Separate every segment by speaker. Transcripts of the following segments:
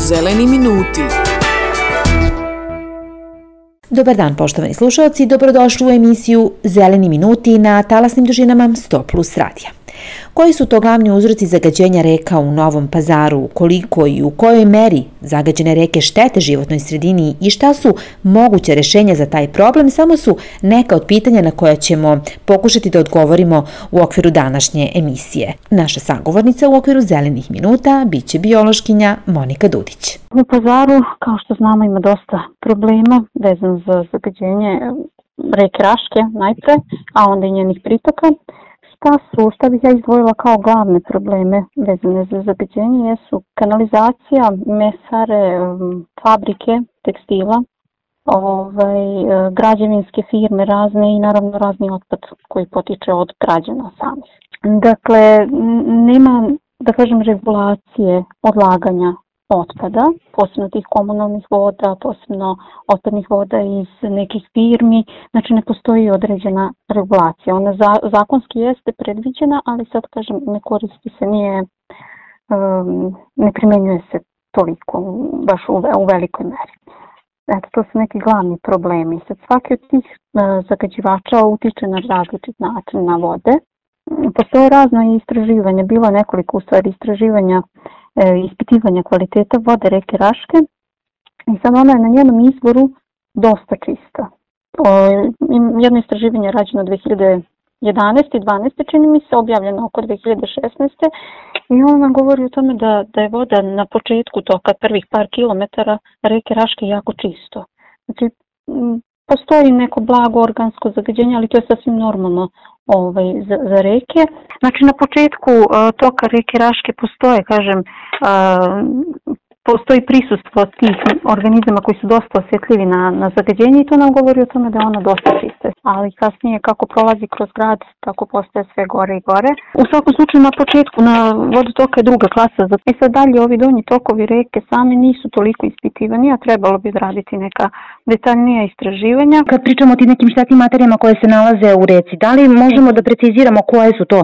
Speaker 1: Zeleni minuti.
Speaker 2: Dobar dan poštovani slušalci, dobrodošli u emisiju Zeleni minuti na talasnim dužinama 100+ radija. Koji su to glavni uzroci zagađenja reka u Novom Pazaru, koliko i u kojoj meri zagađene reke štete životnoj sredini i šta su moguće rešenja za taj problem, samo su neka od pitanja na koja ćemo pokušati da odgovorimo u okviru današnje emisije. Naša sagovornica u okviru Zelenih minuta biće biološkinja Monika Dudić.
Speaker 3: U Pazaru, kao što znamo, ima dosta problema vezano za zagađenje reke Raške najpre, a onda i njenih pritoka. Šta bih ja izdvojila kao glavne probleme vezane za zagađenje jesu kanalizacija, mesare, fabrike, tekstila, građevinske firme razne i naravno razni otpad koji potiče od građana samih. Dakle, nema, da kažem, regulacije odlaganja otpada, posebno tih komunalnih voda, posebno otpadnih voda iz nekih firmi, znači ne postoji određena regulacija. Ona zakonski jeste predviđena, ali sad kažem ne koristi se, ne primenjuje se toliko, baš u velikoj meri. Eto, to su neki glavni problemi. Sad svaki od tih zagađivača utiče na različit način na vode. Postoje razna istraživanja, bilo nekoliko u stvari istraživanja, ispitivanja kvaliteta vode reke Raške i sad ona je na njenom izvoru dosta čista. Jedno istraživanje je rađeno 2011. i 2012. čini mi se, objavljeno oko 2016. i ona govori o tome da je voda na početku toka prvih par kilometara reke Raške jako čisto. Znači, postoji neko blago organsko zagađenje, ali to je sasvim normalno za reke. Znači na početku toka reke Raške postoji prisustvo tih organizama koji su dosta osjetljivi na zagađenje i to nam govori o tome da je ona dosta čista. Ali kasnije kako prolazi kroz grad, tako postaje sve gore i gore. U svakom slučaju na početku na vodotoka je druga klasa. I sad dalje ovi donji tokovi reke same nisu toliko ispitivani, a trebalo bi raditi neka detaljnija istraživanja.
Speaker 2: Kad pričamo o tim nekim štetnim materijama koje se nalaze u reci, da li možemo da preciziramo koje su to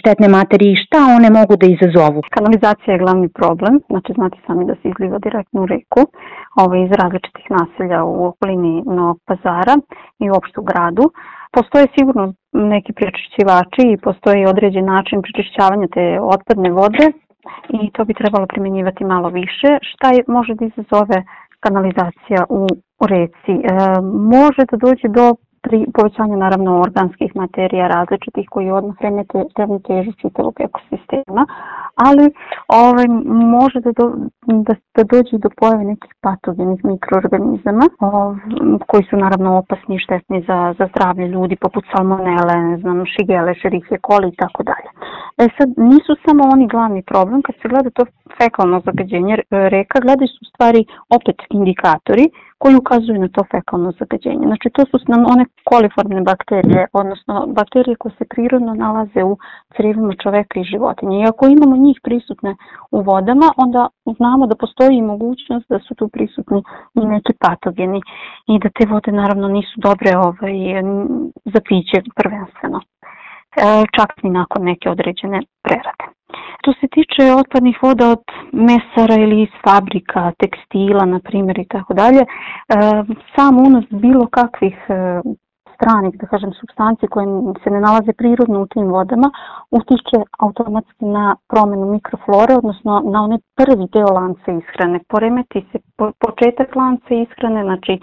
Speaker 2: štetne materije i šta one mogu da izazovu?
Speaker 3: Kanalizacija je glavni problem, znači znate sami da se izliva direktno u reku iz različitih naselja u okolini Novog Pazara i uopšte u gradu. Postoje sigurno neki prečišćivači i postoji određen način prečišćavanja te otpadne vode i to bi trebalo primjenjivati malo više. Šta može da izazove kanalizacija u reci? Može da dođe do povećanja naravno organskih materija različitih koji odmah ravnotežu čitavog ekosistema, ali može da dođe do pojave nekih patogenih mikroorganizama koji su naravno opasni i štetni za zdravlje ljudi, poput salmonele, šigele, šerihije, koli i tako dalje. Sad nisu samo oni glavni problem, kad se gleda to fekalno zagađenje reka, gledaju su u stvari opet indikatori koji ukazuju na to fekalno zagađenje. Znači to su nam one koliformne bakterije, odnosno bakterije koje se prirodno nalaze u crevima čoveka i životinje. I ako imamo njih prisutne u vodama, onda znamo da postoji mogućnost da su tu prisutni i neki patogeni i da te vode naravno nisu dobre za piće prvenstveno. Čak i nakon neke određene prerade. Što se tiče otpadnih voda od mesara ili iz fabrika, tekstila, na primjer i tako dalje, sam unos bilo kakvih stranih, da kažem, supstanci koje se ne nalaze prirodno u tim vodama utiče automatski na promjenu mikroflore, odnosno na onaj prvi deo lanca ishrane. Poremeti se početak lanca ishrane, znači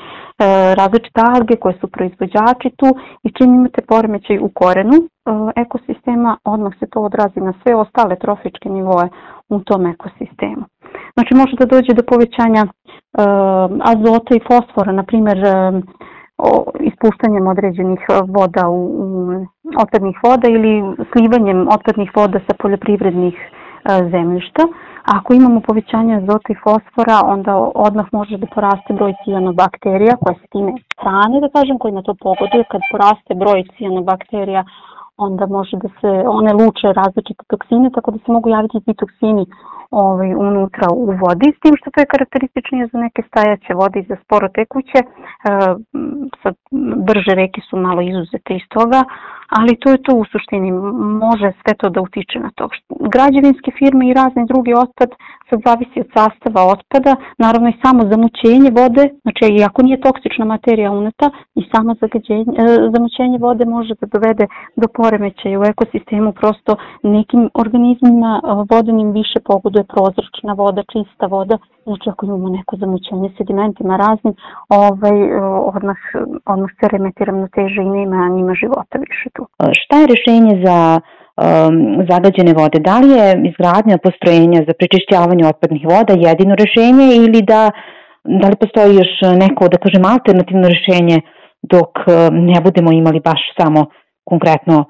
Speaker 3: različite alge koje su proizvođači tu i čim imate poremećaj u korenu ekosistema, odmah se to odrazi na sve ostale trofičke nivoe u tom ekosistemu. Znači može da dođe do povećanja azota i fosfora, na primjer ispuštanjem određenih voda otpadnih voda ili slivanjem otpadnih voda sa poljoprivrednih zemljišta. Ako imamo povećanje azota i fosfora, onda odmah može da poraste broj cijanobakterija koje se time hrane, da kažem, koji na to pogoduju. Kad poraste broj cijanobakterija, onda može da se one luče različite toksine, tako da se mogu javiti ti toksini unutra u vodi, s tim što to je karakterističnije za neke stajaće vode i za sporo tekuće. Sad, brže reke su malo izuzete iz toga, ali to je to u suštini, može sve to da utiče na to. Građevinske firme i razni drugi otpad sve zavisi od sastava otpada, naravno i samo zamućenje vode, znači iako nije toksična materija uneta, i samo zamućenje vode može da dovede do poremećaja u ekosistemu, prosto nekim organizmima vodenim više pogoduje prozračna voda, čista voda, znači ako imamo neko zamućenje sedimentima raznim, odmah se remeti ravnoteža i nema života više tu.
Speaker 1: Šta je rešenje za zagađene vode? Da li je izgradnja postrojenja za prečišćavanje otpadnih voda jedino rešenje ili da li postoji još neko, da kažem, alternativno rešenje dok ne budemo imali baš samo konkretno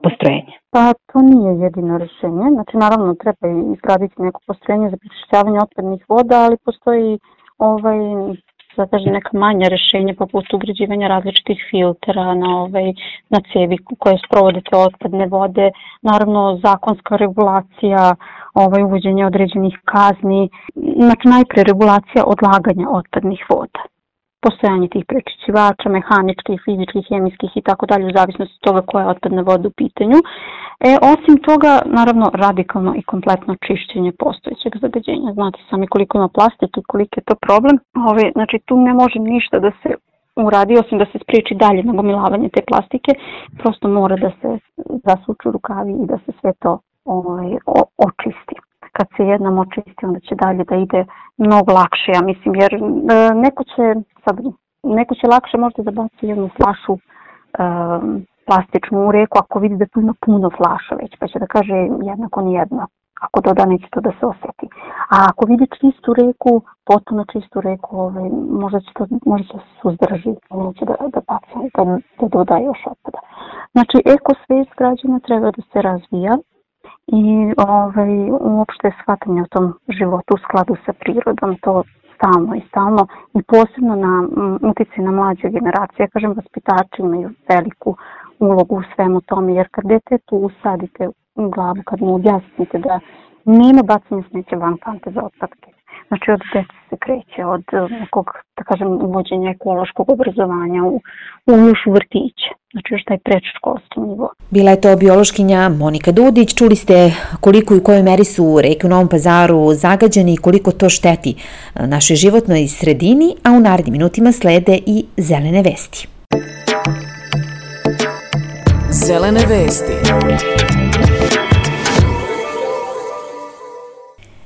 Speaker 1: postrojenje?
Speaker 3: Pa to nije jedino rešenje, znači naravno treba izgraditi neko postrojenje za prečišćavanje otpadnih voda, ali postoji neka manja rešenja poput ugrađivanja različitih filtera na cevi koje sprovode te otpadne vode, naravno zakonska regulacija, uvođenje određenih kazni, znači najpre regulacija odlaganja otpadnih voda. Postojanje tih prečišćivača, mehaničkih, fizičkih, hemijskih i tako dalje, u zavisnosti od toga koja je otpadna voda u pitanju. Osim toga, naravno, radikalno i kompletno čišćenje postojećeg zagađenja. Znate sami koliko ima plastike i koliko je to problem. Znači, tu ne može ništa da se uradi, osim da se spriječi dalje nagomilavanje te plastike. Prosto mora da se zasuču rukavi i da se sve to očisti. Kad se jednom očisti, onda će dalje da ide mnogo lakše, ja mislim, jer neko će lakše možda da baci jednu flašu plastičnu u reku ako vidi da tu ima puno flaša već, pa će da kaže jednako nijedno. Ako doda, neće to da se osjeti. A ako vidi čistu reku, potpuno čistu reku, možda će se suzdrži, neće da baci, da doda još otpada. Znači, ekosvest građana treba da se razvija i uopšte shvatanje o tom životu u skladu sa prirodom, to stalno i posebno na utjecaj na mlađe generacije. Ja kažem, vaspitači imaju veliku ulogu u svemu tome, jer kad detetu usadite u glavu, kad mu objasnite da nema bacanja smeća van kante za otpadke, znači od dece se kreće, od nekog, da kažem, uvođenja ekološkog obrazovanja još u vrtiće, znači još taj predškolski nivo.
Speaker 2: Bila je to biološkinja Monika Dudić. Čuli ste koliko i u kojoj meri su reke u Novom Pazaru zagađene i koliko to šteti našoj životnoj sredini, a u narednim minutima slede i zelene vesti.
Speaker 4: Zelene vesti.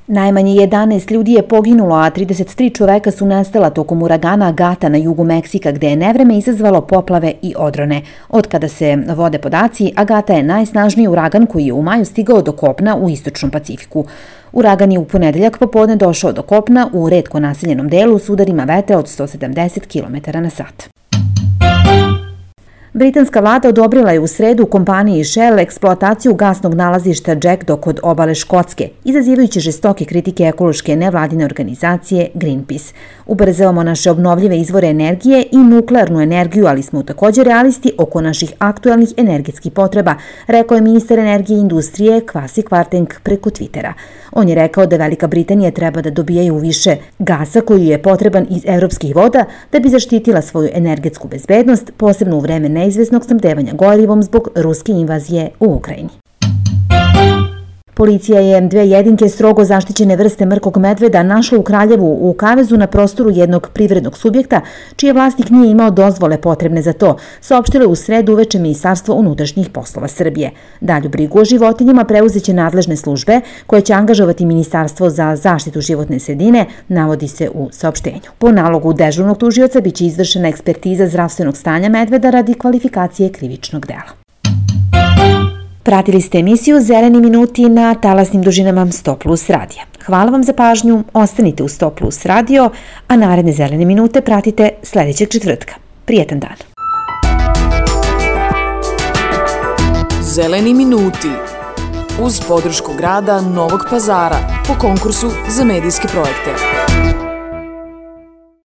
Speaker 2: Najmanje 11 ljudi je poginulo, a 33 čoveka su nestala tokom uragana Agata na jugu Meksika, gde je nevreme izazvalo poplave i odrone. Od kada se vode podaci, Agata je najsnažniji uragan koji je u maju stigao do kopna u istočnom Pacifiku. Uragan je u ponedeljak popodne došao do kopna u retko naseljenom delu s udarima vetra od 170 km/h. Britanska vlada odobrila je u sredu kompaniji Shell eksploataciju gasnog nalazišta Jackdaw kod obale Škotske, izazivajući žestoke kritike ekološke nevladine organizacije Greenpeace. Ubrzavamo naše obnovljive izvore energije i nuklearnu energiju, ali smo također realisti oko naših aktualnih energetskih potreba, rekao je ministar energije i industrije Kwasi Kwarteng preko Twittera. On je rekao da Velika Britanija treba da dobijaju više gasa koji je potreban iz evropskih voda da bi zaštitila svoju energetsku bezbednost, posebno u vreme neizvesnog snabdevanja gorivom zbog ruske invazije u Ukrajini. Policija je 2 jedinke strogo zaštićene vrste mrkog medveda našla u Kraljevu u kavezu na prostoru jednog privrednog subjekta, čiji vlasnik nije imao dozvole potrebne za to, saopštilo u sredu uveče Ministarstvo unutrašnjih poslova Srbije. Dalju brigu o životinjama preuzeće nadležne službe, koje će angažovati Ministarstvo za zaštitu životne sredine, navodi se u saopštenju. Po nalogu dežurnog tužioca biće izvršena ekspertiza zdravstvenog stanja medveda radi kvalifikacije krivičnog dela. Pratili ste emisiju Zeleni minuti na talasnim dužinama 100+ radija. Hvala vam za pažnju, ostanite u 100+ radio, a naredne Zelene minute pratite sljedećeg četvrtka. Prijetan dan.
Speaker 4: Zeleni minuti uz podršku grada Novog Pazara po konkursu za medijske projekte.